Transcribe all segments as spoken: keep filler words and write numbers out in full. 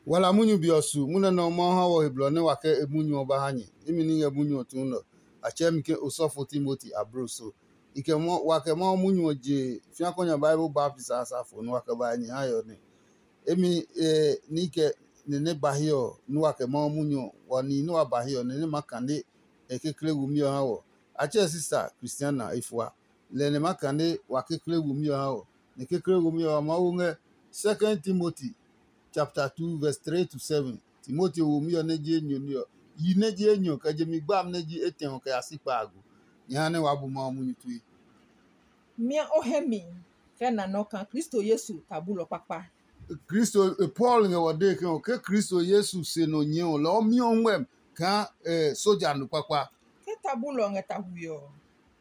Wala munyu be ɔ su munyu nɛ Mawu ha wɔ he blɔ nɛ wa kɛ e munyu ɔ ba ha nyɛ. Imi ní ngɛ munyu ɔ tuun nɛ ɔ, a tsɛɛ mi ke osɔfo Timoti abloso. I kɛ wa kɛ Mawu munyu ɔ je fiakɔ nya Bible baptisi a safo nɛ wa kɛ ba nyɛ ha ɔ nɛ. Emi ní kɛ nɛ nɛ ba hiɛ ɔ nɛ wa kɛ Mawu munyu ɔ, wa nihi nɛ wa ba hiɛ ɔ, nɛ nɛ ma kane e kekle wumi ɔ ha wɔ. A tsɛɛ sisa Kristiana e fua, lɛ nɛ ma kane wa kekle wumi ɔ ha wɔ. Nɛ kekle wumi ɔ, Mawu ngɛ Second Timoti chapter two verse three to seven. Timoti womi ɔ nɛ ji enyɔ ní ɔ, yi nɛ ji enyɔ kɛ je mi gbami nɛ ji etɛ ɔ kɛ ya si kpaago. Nyɛ ha nɛ waa bu Mawu munyu tue. Mia o hɛ mi kɛ na nɔ kaa Kristo Yesu ta bulɔ kpakpa. Kristo Paul ngɛ wɔ dee ke ɔ ke Kristo Yesu se nɔ nyɛ ɔ lɔ ɔ miɔ ngmɛm kaa soja no kpakpa. Ke ta bulɔ ngɛ ta hui ɔ.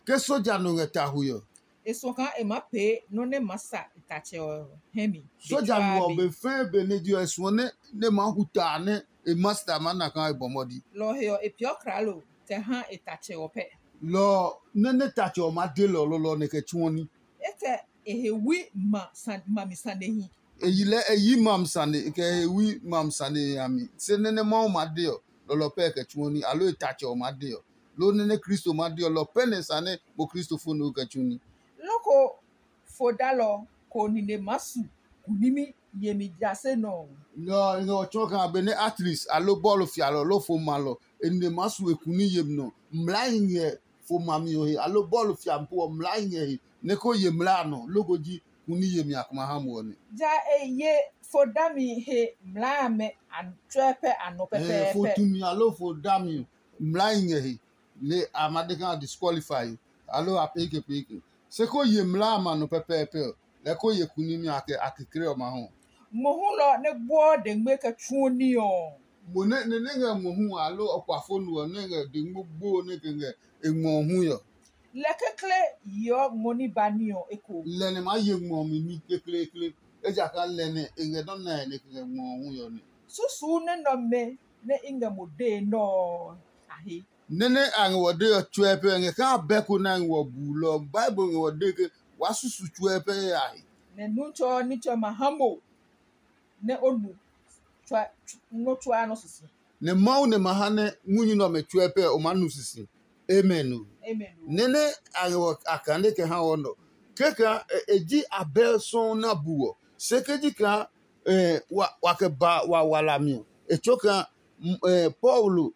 Ke soja no ngɛ ta hui ɔ. E suɔ kaa e maa pee nɔ́ nɛ maa sa e tatsɛ ɔ hɛ mi. Soja no ɔ be fɛɛ be nɛ je ɔ e suɔ nɛ nɛ maa hu taa nɛ e masta maa na kaa e bɔ mɔdi. Lɔ ɔ he ɔ, e peeɔ klaalo kɛ ha e tatsɛ ɔ pɛ. Lɔ ɔ nɛ nɛ tatsɛ ɔ maa de lɛ ɔ lɔlɔ nɛ kɛ tsuɔ ní. E kɛ e he wui ma mami sanehi. E yi lɛ e yi mam sane kɛ e he wui mam sane a mi. Se nɛ nɛ Mawu maa de ɔ, lɔlɔ pɛ e kɛ tsuɔ ní, aloo e tatsɛ ɔ maa de ɔ. Loo nɛ nɛ Kristo ma de ɔ, lɔ pɛ nɛ sa nɛ mo Kristofo nɛ o kɛ tsu ní. Loko fodalɔ ko nine maa su kunimi yemi jase nɔ ɔ. Lɔ ɔ, e ngɛ ɔ tsɔɔ kaa benɛ atris aloo bɔɔlu fialɔ loo fo malɔ, e nine maa su e kuni yemi nɔ. Mlai ngɛ fo mami ɔ he, aloo bɔɔlu fiami ɔ mlai ngɛ he, nɛ ko ye mlaa a nɔ, loko ji kuni yemi a kuma ha mo ɔ nɛ. Ja e ye fo dami he mlaa amɛ a tsɔɛ pɛ a nɔ pɛpɛɛpɛ. Fo tumi aloo fo dami mlai ngɛ he, nɛ a ma de kaa a disqualify aloo a peeke peeke. Se ko ye mlaa a ma nɔ pɛpɛɛpɛ ɔ, lɛ ko ye kunimi a kɛ a kekle ɔmɛ hu. Mohu lɔ nɛ gbuɔ dengme kɛ tsuo ní ɔ. Mo nɛ nɛ nɛ ngɛ mohu aloo ɔkuafonu ɔ nɛ ngɛ dengme gbo nɛ kɛ ngɛ e ngmɔ hu ɔ. Lɛ kekle yeɔ ngmɔ ní ba ní ɔ eko. Lɛ nɛ maa ye ngmɔ mi ní kekleekle, ejakaa lɛ nɛ e ngɛ nɔ́ nae nɛ kɛ ngɛ ngmɔ ɔ hu ɔ nɛ. Susuu nɛ nɔmɛ nɛ i ngɛ mo dee nɛ ɔ a he. Nɛ nɛ a ngɛ wɔ dee ɔ tsuɛ pɛ ngɛ kaa bɛ ko nɛ a ngɛ wɔ buu lɔ ɔ, Bible ngɛ wɔ dee ke waa susu tsuɛ pɛ yayaahi. Nɛ Nutsɔ ɔ nitsɛ ɔmɛ a ha mo nɛ o nu nɔ́ tsuaa nɔ́ sisi. Nɛ Mawu nɛ ma ha nɛ munyu nɛ ɔmɛ tsuɛ pɛ o maa nu sisi. Amen o. Amen. Nɛ nɛ a ngɛ wɔ a kane kɛ ha wɔ nɔ. Kɛkɛ e ji abɛ sɔuu na bu wɔ. Se ke ji kaa wa kɛ ba wa wala mi ɔ, e tso kaa Paulo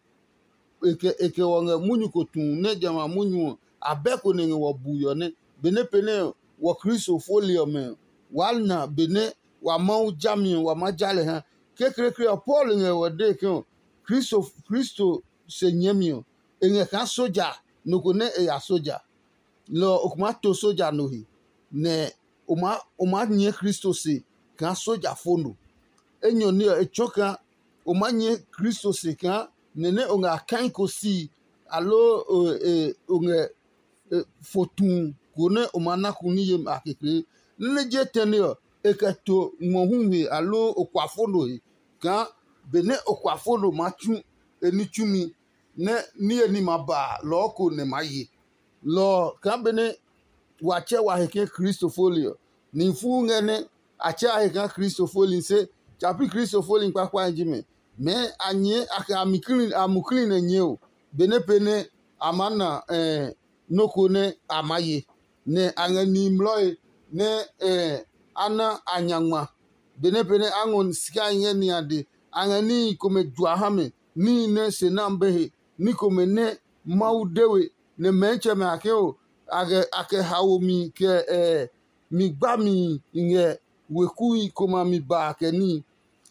e kɛ wɔ ngɛ munyu ko tu nɛ jamɛ a munyu ɔ, abɛ ko nɛ ngɛ wɔ bui ɔ nɛ. Benɛ pɛ nɛ wɔ Kristo foli ɔmɛ ɔ, waa na benɛ wa Mawu jami ɔ wa maa ja lɛ ha. Kekleekle ɔ, Paul ngɛ wɔ dee ke ɔ, Kristo Kristo se nyɛɛmi ɔ, e ngɛ kaa soja nɔ ko nɛ e ya soja. Lɔ ɔ, o ko maa to soja no he, nɛ o maa o maa nyɛɛ Kristo se kaa soja fo no. Enyɔ ní ɔ, e tsɔɔ kaa o maa nyɛɛ Kristo se kaa nɛ nɛ o ngɛ a kaiko si, aloo o ngɛ fo tu ko nɛ o maa na ku ní yemi a kekle. Nɛ nɛ je tɛne ɔ, e kɛ to ngmɔ hu he aloo okua fo no he kaa benɛ okua fo no maa tsu e ní tsumi nɛ niye ní ma ba a, lɔɔ ko nɛ maa ye. Lɔ ɔ kaa benɛ wa tsɛ wa he ke Kristo foli ɔ, nihi fuu ngɛ nɛ a tsɛ a he kaa Kristo foli se tsa pi Kristo foli kpakpae ji mɛ. Mɛɛ a nyɛɛ a kɛ a mukli nɛ nyɛɛ o, benɛ pee nɛ a maa na nɔ́ ko nɛ a maa ye, nɛ a ngɛ nihi mlɔe nɛ a na a nya ngma. Benɛ pee nɛ a ngɔ sikae ngɛ niade, a ngɛ níhi komɛ jua ha mɛ, níhi nɛ se nami be he, ní komɛ nɛ Mawu de we, nɛ mɛɛtsɛmɛ a ke o, a kɛ haomi kɛ mi gbami ngɛ wekui komɛ a mi ba a kɛ níhi.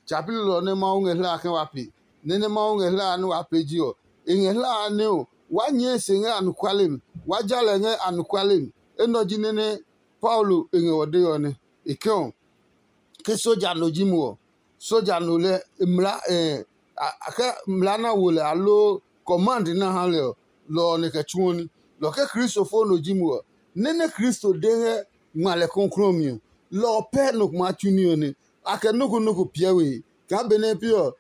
Tsa pi lelɔ nɛ Mawu ngɛ hlaa ke wa pe. Nɛ nɛ Mawu ngɛ hlaa nɛ wa pe ji ɔ, e ngɛ hlaa nɛ o, waa nyɛɛ e se ngɛ anɔkuale mi, waa ja lɛ ngɛ anɔkuale mi. Enɛ ɔ ji nɛ nɛ Paulo e ngɛ wɔ dee ɔ nɛ. E kɛ ɔ, ke soja no ji mo ɔ, soja no lɛ mla ɛ ke mla na wo lɛ aloo command na ha lɛ ɔ, lɔ ɔ nɛ kɛ tsuɔ ní. Lɔ ke Kristo fo no ji mo ɔ, nɛ nɛ Kristo de ngɛ ngma lɛ kɔklɔɔ mi ɔ, lɔ ɔ pɛ nɔ ko maa tsu ní ɔ nɛ. A kɛ nɔ́ ko nɔ́ ko piɛ we he. Kaa benɛ pi ɔ,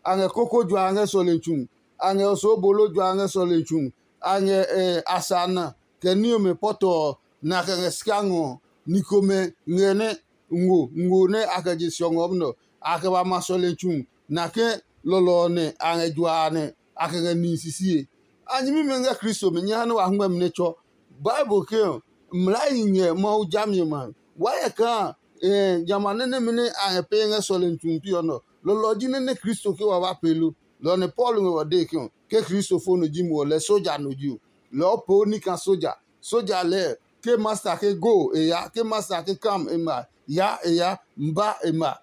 a ngɛ koko jua a ngɛ sɔlemi tsu, a ngɛ osoo bolo jua a ngɛ sɔlemi tsu, a ngɛ asa na kɛ ní ɔmɛ pɔtɔ ɔ, nɛ a kɛ ngɛ sika ngɔ ɔ, ni komɛ ngɛ nɛ ngo ngo nɛ a kɛ je siɔ ngɔ ɔ nɛ ɔ, a kɛ ba ma sɔlemi tsu, nɛ a ke lɔlɔ ɔ nɛ a ngɛ jua a nɛ a kɛ ngɛ nihi sisie. A nyɛmimɛ ngɛ Kristo mi nyɛ ha nɛ wa hɛngmɛ mi nɛ tsɔ. Bible ke ɔ, mlaahi ngɛ Mawu jami ɔmɛ a mi. Waa hyɛ kaa jamɛ a nɛ nɛmɛ nɛ a ngɛ pee ngɛ sɔlemi tsu pi ɔ nɔ, lɔlɔ ɔ ji nɛ nɛ Kristo ke wa ba pee lo. Lɔ ɔ nɛ Paulo ngɛ wa dee ke ɔ, ke Kristo fo no ji mo ɔ, lɛ soja no ji o. Lɔ ɔ poo ní kaa soja. Soja lɛɛ ke masta ke go e ya, ke masta ke kam e ma ya e ya, mba e ma.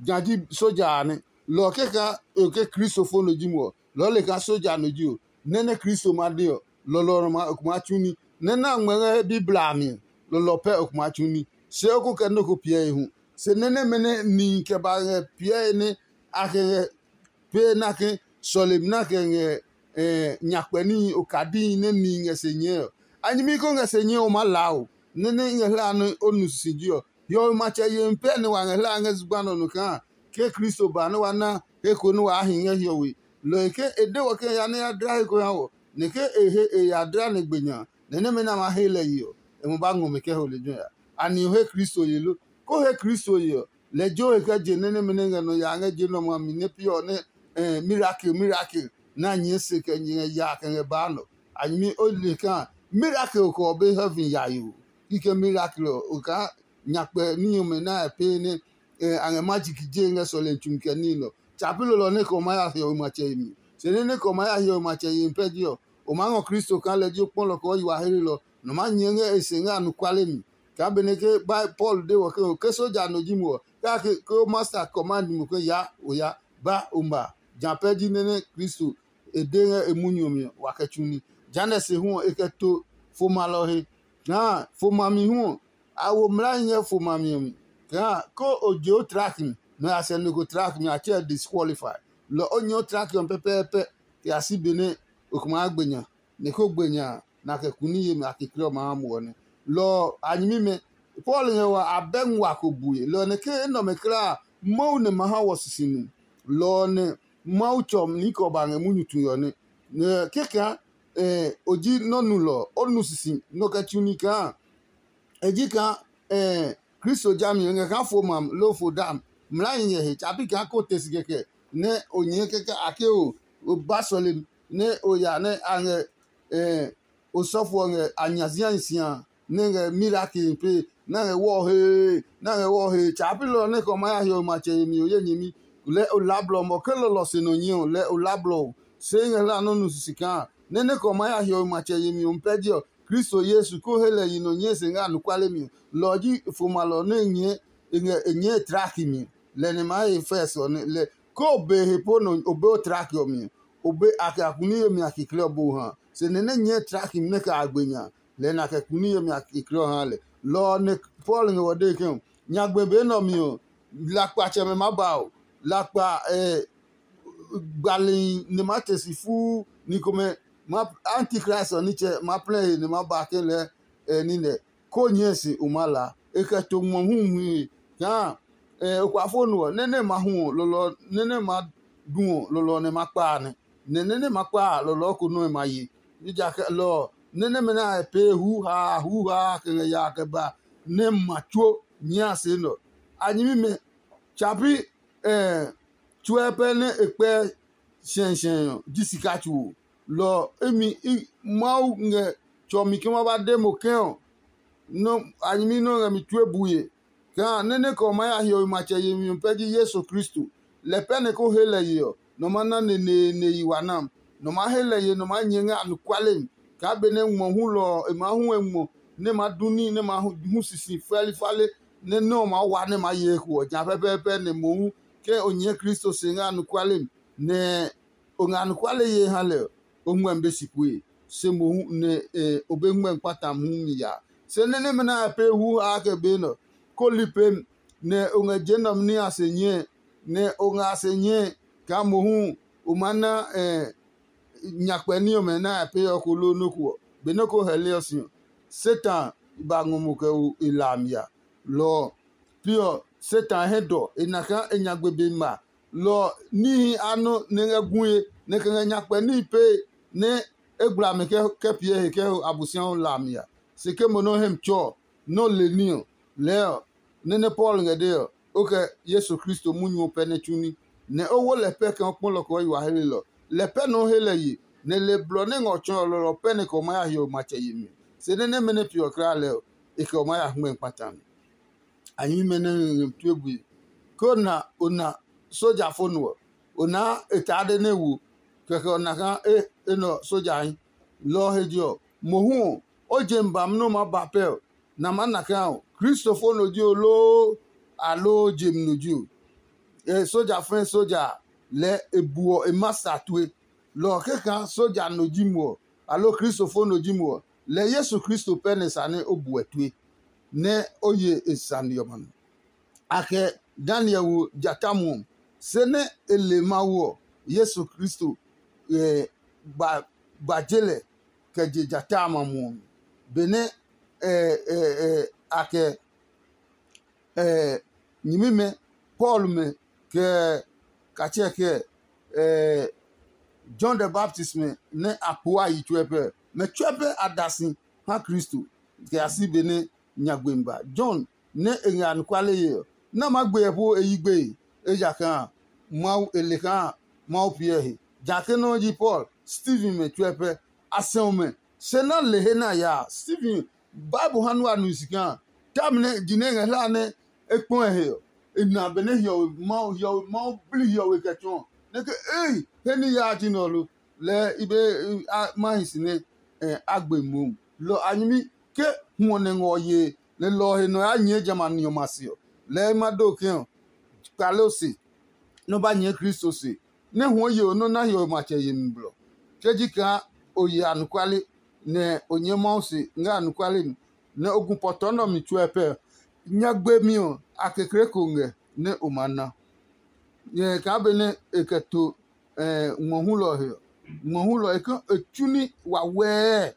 Nya ji soja a nɛ. Lɔ ɔ kɛkaa e ke Kristo fo no ji mo ɔ, lɔɔ le kaa soja no ji o. Nɛ nɛ Kristo ma de ɔ, lɔlɔ ɔ nɔ ma tsu ní. Nɛ nɛ a ngmɛ ngɛ Bibla a mi ɔ, lɔlɔ ɔ pɛ o kuma tsu ní. Se o ko kɛ nɔ́ ko piɛ e hu. Se nɛ nɛmɛ nɛ nihi kɛ ba ngɛ piɛe nɛ a kɛ ngɛ pee nɛ a ke sɔlemi nɛ a kɛ ngɛ nyakpɛ níhi okadihi nɛ nihi ngɛ se nyɛɛ ɔ, a nyɛmi ko ngɛ se nyɛɛ o maa laa o. Nɛ nɛ i ngɛ hlaa nɛ o nu sisiji ɔ, hiɔwe matsɛ yemi pɛ nɛ wa ngɛ hlaa ngɛ zugba nɛ ɔ nɔ kaa ke Kristo ba nɛ wa na he ko nɛ waa hi ngɛ hiɔwe. Lɔ ɔ he ke e de wɔ ke e ya nɛ ya dla he ko ha wɔ, nɛ ke e he e ya dla nɛ gbe nya, nɛ nɛmɛ nɛ a ma he lɛ ye ɔ, e ma ba ngɔ mi kɛ ho lejɛ ɔ ya. Anɛ o he Kristo ye lo? Ko he Kristo ye ɔ, lɛ jo he kɛ je nɛ nɛmɛ nɛ ngɛ nɔ ya ngɛ je nɔmɔ a mi nɛ pi ɔ nɛ mirakel mirakel nɛ a nyɛɛ se kɛ ngɛ ya kɛ ngɛ baa nɔ. A nyɛmi o le kaa mirakel kɛ ɔ be heaven yayo. Kikɛ mirakel ɔ o kaa nyakpɛ ní ɔmɛ nɛ a pee nɛ a ngɛ majiki je ngɛ sɔlemi tsu kɛ ní nɔ. Tsa pi lolɔ nɛ kɛ o maa ya hiɔwe matsɛ yemi. Se nɛ nɛ kɛ o maa ya hiɔwe matsɛ yemi pɛ ji ɔ, o maa ngɔ Kristo kaa lɛ ji o kpɔlɔ kɛ o yi wa hlelɔ, nɔ maa nyɛɛ ngɛ e se ngɛ anɔkuale mi. Kaa benɛ ke Paul de wɔ ke ke soja no ji mo ɔ, kake ke o masta command mo ke ya o ya, ba o ma. Ja pɛ ji nɛ nɛ Kristo e de ngɛ e munyu ɔ mi ɔ, wa kɛ tsu ní. Jehanɛ se hu ɔ, e kɛ to fo malɔ he. Kaa fo mami hu ɔ, a wo mlaahi ngɛ fo mami ɔ mi. Kaa ke o je o tlaki mi, nɔ ya sɛ nɔ ko tlaki mi, a tsɛ disqualify. Lɔ o nyɛ o tlaki ɔ pɛpɛɛpɛ kɛ ya si benɛ o ko maa gbe nya. Nɛ ko gbe nya a, nɛ a kɛ kuni yemi a kekle ɔmɛ a ha muɔ nɛ. Lɔ ɔ a nyɛmimɛ, Paul ngɛ wa abɛ ngua ko bue. Lɔ ɔ nɛ ke enɛ ɔmɛ kulaa a, Mawu nɛ ma ha wɔ sisinu. Lɔ ɔ nɛ Mawu tsɔ ni kɛ ɔ ba ngɛ munyu tue ɔ nɛ. Nɛ kɛkaa o ji nɔ́ nulɔ ɔ, o nu sisi nɔ kɛ tsu ní kaa e ji kaa Kristo jami ɔ ngɛ kaa fo mam loo fo dam. Mlaahi ngɛ he tsa pi kaa ko te si kɛkɛ nɛ o nyɛɛ kɛkɛ a ke o o ba sɔlemi nɛ o ya nɛ a ngɛ osɔfo ɔ ngɛ a nya ziahi si a nɛ ngɛ mirakel pe nɛ a ngɛ wɔ hee nɛ a ngɛ wɔ hee. Tsa pi lɔ nɛ kɛ o ma ya hiɔwe matsɛ yemi o ye nyɛmi. Lɛ o la blɔ mɔ ke lɔlɔ se nɔ nyɛ ɔ lɛ o la blɔ o. Se i ngɛ hla nɔ́ nu sisi kaa nɛ nɛ kɛ o ma ya hiɔwe matsɛ yemi ɔ pɛ ji ɔ, Kristo Yesu ko he lɛ yi nɔ nyɛɛ se ngɛ anɔkuale mi ɔ. Lɔ ɔ ji fo malɔ nɛ e nyɛɛ e ngɛ e nyɛɛ e tlaki mi. Lɛ nɛ ma he fɛs ɔ nɛ lɛ ke o be he po nɔ o be o tlaki ɔ mi ɔ, o be a kɛ a kuni yemi a kekle ɔ bo ha. Se nɛ nɛ nyɛɛ tlaki mi nɛ kɛ a gbe nya, lɛ nɛ a kɛ kuni yemi a kekle ɔ ha lɛ. Lɔ ɔ nɛ Paul ngɛ wɔ dee ke ɔ, nyagbe be nɛ ɔ mi ɔ, lakpatsɛmɛ maa ba o, lakpa gbalihi nɛ maa te si fuu ni komɛ. Antikristi ɔ nitsɛ maa plɛ he nɛ maa ba ke lɛɛ nine. Ko nyɛe se o maa laa. E kɛ to ngmɔ hu muhi he kaa okpafo no ɔ, nɛ nɛ ma hu ɔ, lɔlɔ nɛ nɛ ma du ɔ, lɔlɔ nɛ ma kpa a nɛ. Nɛ nɛ nɛ ma kpa a, lɔlɔ ko nɔ́ e ma ye. Ejakaa lɔ ɔ, nɛ nɛmɛ nɛ a pee huhaa huhaa kɛ ngɛ yaa kɛ ba nɛ ma tsuo nyɛɛ a se nɛ ɔ. A nyɛmimɛ, tsa pi tsuɛ pɛ nɛ e kpɛ shɛshɛ ɔ ji sika tsu o. Lɔ ɔ, imi Mawu ngɛ tsɔmi ke ma ba de mo ke ɔ, a nyɛmi nɛ ɔ ngɛ mi tue bue. Kaa nɛ nɛ kɛ ɔ maa ya hiɔwe matsɛ yemi ɔ pɛ ji Yesu Kristo. Lɛ pɛ nɛ ko he lɛ ye ɔ, nɔ ma na neneene yi wa nam. Nɔ maa he lɛ ye nɔ maa nyɛ ngɛ anɔkuale mi. Kaa benɛ ngmɔ hulɔ ɔ e maa hu e ngmɔ nɛ ma du ní nɛ ma hu sisi fɛli fale nɛ nɛ ɔ maa wa nɛ maa ye eko ɔ, ja pɛpɛɛpɛ nɛ mohu ke o nyɛɛ Kristo se ngɛ anɔkuale mi, nɛ o ngɛ anɔkuale ye ha lɛ ɔ, o ngmɛmi be si kue, se mohu nɛ o be ngmɛmi kpata mohu mi yaa. Se nɛ nɛmɛ nɛ a pee hu haa kɛ be nɛ ɔ, ko li pemi, nɛ o ngɛ je nɛ ɔ ní a se nyɛe, nɛ o ngɛ a se nyɛe kaa mohu o maa na nyakpɛ ní ɔmɛ nɛ a pee ɔ ko loo nɔ́ ko ɔ. Benɛ ko hɛli ɔ si ɔ, Satan ba ngɔ mo kɛ ho e la a mi ya. Lɔ ɔ, pi ɔ, Satan hɛ dɔ, e na kaa e nyagbe be ma. Lɔ ɔ, níhi a nɔ nɛ ngɛ gue, nɛ kɛ ngɛ nyakpɛ níhi pee, nɛ e gbla mɛ kɛ piɛ he kɛ ho Abosiami la a mi a. Se ke mo nɔ́ hɛ mi tsɔ ɔ, nɔ́ le ní ɔ, lɛɛ ɔ, nɛ nɛ Paul ngɛ dee ɔ, o kɛ Yesu Kristo munyu ɔ pɛ nɛ tsu ní, nɛ o wo lɛ pɛ kɛ o kpɔlɔ kɛ o yi wa helelɔ. Lɛ pɛ nɛ o he lɛ ye, nɛ le blɔ nɛ ngɛ ɔ tsɔɔlɔ ɔ pɛ nɛ kɛ o ma ya hiɔwe matsɛ yemi. Se nɛ nɛmɛ nɛ peeɔ kulaa lɛ ɔ, e kɛ o ma ya hmɛ kpata mi. A nyɛmimɛ nɛ ngɛ tue bue. Ke o na o na soja fo nɔ ɔ, o naa e taa de nɛ wo, kɛkɛ o na kaa e enɛ ɔ sojahi. Lɔ ɔ he je ɔ, mohu ɔ, o je mi bami nɛ o maa ba pɛ ɔ, nɛ a maa na kaa ɔ, Kristo fo nɔ ji o loo, aloo je mi nɔ ji o? E soja fɛɛ soja a, lɛɛ e buɔ e masta tue. Lɔ ɔ kɛkaa soja nɔ ji mo ɔ, aloo Kristo fo nɔ ji mo ɔ, lɛɛ Yesu Kristo pɛ nɛ sa nɛ o buɛ tue, nɛ o ye e sane ɔmɛ nɔ. A kɛ Daniel wo jata muɔ, se nɛ e le Mawu ɔ, Yesu Kristo ba je lɛ kɛ je jata a ma muɔ mi. Benɛ a kɛ nyɛmimɛ Paul mɛ kɛ katsɛ kɛ John the Baptist mɛ nɛ a poo a yi tsuɛ pɛ, mɛ tsuɛ pɛ a da si ha Kristo kɛ ya si benɛ nyagbe mi ba. John nɛ e ngɛ anɔkuale ye ɔ, nɛ a maa gbe ɛ po e yi gbeye, ejakaa Mawu e le kaa Mawu piɛ he. Jã ke nɔ́ ji Paul, Steven mɛ tsuɛ pɛ a sɛu mɛ, se na le he nɛ a ya a. Steven, Bible ha nua nu si kaa, tami nɛ ji nɛ e ngɛ hlaa nɛ e kpɔ e he ɔ, e na benɛ hiɔwe Mawu hiɔwe Mawu bli hiɔwe kɛ tsɔɔ nɛ ke ei he ní yaa ji nɛ ɔ lo. Lɛɛ i be ma hi si nɛ a gbe mohu. Lɔ a nyɛmi ke huɔ nɛ ngɔ yee nɛ lɔ ɔ he nɔ ya nyɛɛ jamɛ a ni ɔmɛ a se ɔ, lɛɛ i ma do ke ɔ, kpale o se nɛ o ba nyɛɛ Kristo se, nɛ huɔ ye o nɔ́ na hiɔwe matsɛ yemi blɔ. Ke ji kaa o ye anɔkuale, nɛ o nyɛɛ Mawu se ngɛ anɔkuale mi, nɛ o gu pɔtɔɔ nɛ ɔ mi tsuɛ pɛ ɔ, nyagbe mi ɔ a kekle ko ngɛ nɛ o maa na. Nyɛ kaa benɛ e kɛ to ngmɔ hulɔ ɔ he ɔ, ngmɔ hulɔ ɔ e ke e tsu ní wawɛɛ.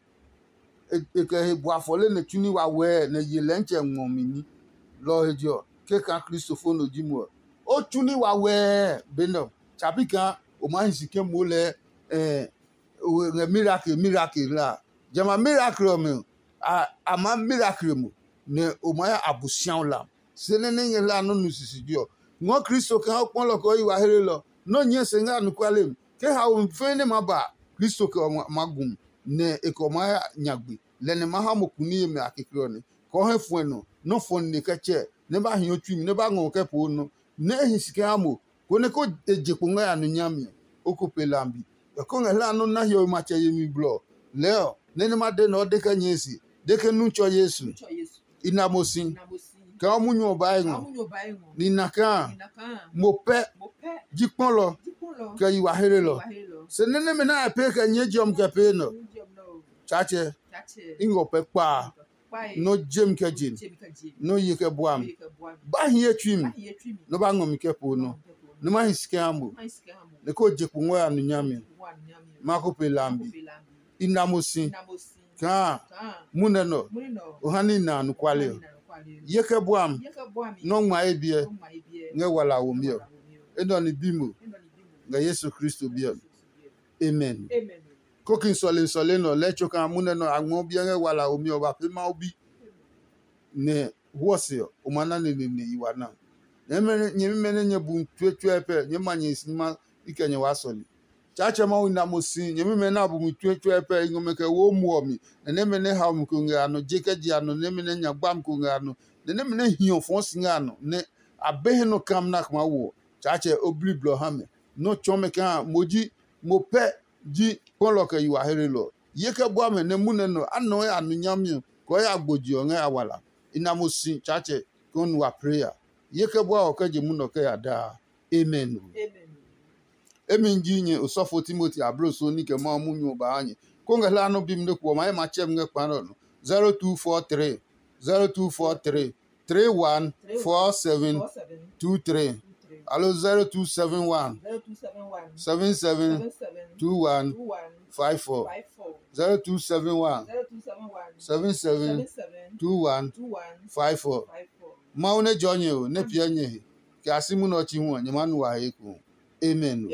E kɛ he bua fɔle nɛ tsu ní wawɛɛ nɛ ye lɛntsɛ ngmɔ mi ní. Lɔ ɔ he je ɔ, ke kaa Kristo fo nɔ ji mo ɔ, o tsu ní wawɛɛ be nɛ ɔ. Tsa pi kaa o maa hi si ke moo lɛɛ ngɛ mirakel mirakel la a. Jamɛ a mirakel ɔmɛ ɔ, a maa mirakel mo, nɛ o maa ya Abosiami lam. Se nɛ nɛ nyɛ hlaa nɔ́ nu sisije ɔ, ngɔɔ Kristo kaa o kpɔlɔ kɛ o yi wa helelɔ, nɔ́ nyɛɛ se ngɛ anɔkuale mi. Ke haomi fɛɛ nɛ maa ba a, Kristo kɛ ɔ maa gu mi, nɛ e kɛ ɔ maa ya nyagbe. Lɛ nɛ maa ha mo kuni yemi a kekle ɔ nɛ, kɛ o hɛ fuɛ nɔ, nɔ́ fɔ nine kɛ tsɛ, nɛ ba hi o tsui mi, nɛ ba ngɔ o kɛ poo nɔ, nɛ e hi si kɛ ha mo, konɛ ko e je kpo ngɛ ya nu nyami ɔ, o ko pe lambi. Kɛ ko ngɛ hlaa nɔ́ na hiɔwe matsɛ yemi blɔ ɔ, lɛɛ ɔ, nɛ nɛ ma de nɛ o de kɛ nyɛɛ se, de ke nu tsɔ Yesu. I na mo si. Kɛ o munyu ɔ ba ngɔ. Ni na kaa mo pɛ ji kpɔlɔ kɛ yi wa helelɔ. Se nɛ nɛmɛ nɛ a pee kɛ nyɛɛ je ɔ mi kɛ pee nɔ. Tsaatsɛ, i ngɔ pɛ kpaa. Nɔ je mi kɛ je mi. Nɔ ye kɛ bua mi. Ba hi ye tsui mi. Nɔ ba ngɔ mi kɛ po nɔ. Nɔ ma hi si kɛ ha mo. Nɛ ko je kpo ngɔ ya nu nyami. Ma ko pe lambi. I na mo si. Kaa munɛ nɔ o ha ní na anɔkuale ɔ. Ye kɛ bua mi nɔ ngma ye biɛ ngɛ wala womi ɔ. Enɛ ɔ ni bi mo ngɛ Yesu Kristo biɛ mi. Amen. Kokin sɔlemi sɔlemi nɔ lɛɛ tso kaa munɛ nɔ a ngmɔ biɛ ngɛ wala womi ɔ ba pee Mawu bi. Nɛ huɔ se ɔ, o ma na neneene i wa na. Nyɛmimɛ nɛ nyɛ bu mi tsuetsuɛ pɛ, nyɛɛ ma nyɛ hi si ma i kɛ nyɛ waa sɔle. Tsaatsɛ Mawu na mo si nyɛmimɛ nɛ a bu mi tsuetsuɛ pɛ i ngɔ mɛ kɛ wo muɔ mi, nɛ nɛmɛ nɛ hao mi ko ngɛ a nɔ je kɛ je a nɔ, nɛmɛ nɛ nya gbami ko ngɛ a nɔ, nɛ nɛmɛ nɛ hiɔ fɔɔ si ngɛ a nɔ, nɛ a be he nɔ kam na kma wo ɔ. Tsaatsɛ o bli blɔ ha mɛ, nɔ tsɔɔ mɛ kaa mo ji mo pɛ ji kpɔlɔ kɛ yi wa helelɔ. Ye kɛ bua mɛ nɛ munɛ nɔ a nɔɛ a nu nyami ɔ kɔɔ ya gbo je ɔ ngɛ a wala. I na mo si Tsaatsɛ kɛ o nu wa plee ya. Ye kɛ bua ɔ kɛ je munɔ kɛ ya daa. Amen. Emi ji nyɛ osɔfo Timoti abloso ní kɛ Mawu munyu ɔ ba ha nyɛ. Ko ngɛ hlaa nɔ bi mi nɛ kuɔ ma ye ma tsɛ mi ngɛ kpa nɛ ɔ nɔ. Zero two four three, zero two four three, three one four seven two three. Alo zero two seven one seven seven two one five four. Zero two seven one seven seven two one five four. Mawu nɛ jɔ nyɛ o, nɛ piɛ nyɛ he, kɛ a si munɔ ɔ tsi hu ɔ, nyɛ maa nu wa he eko. Amen.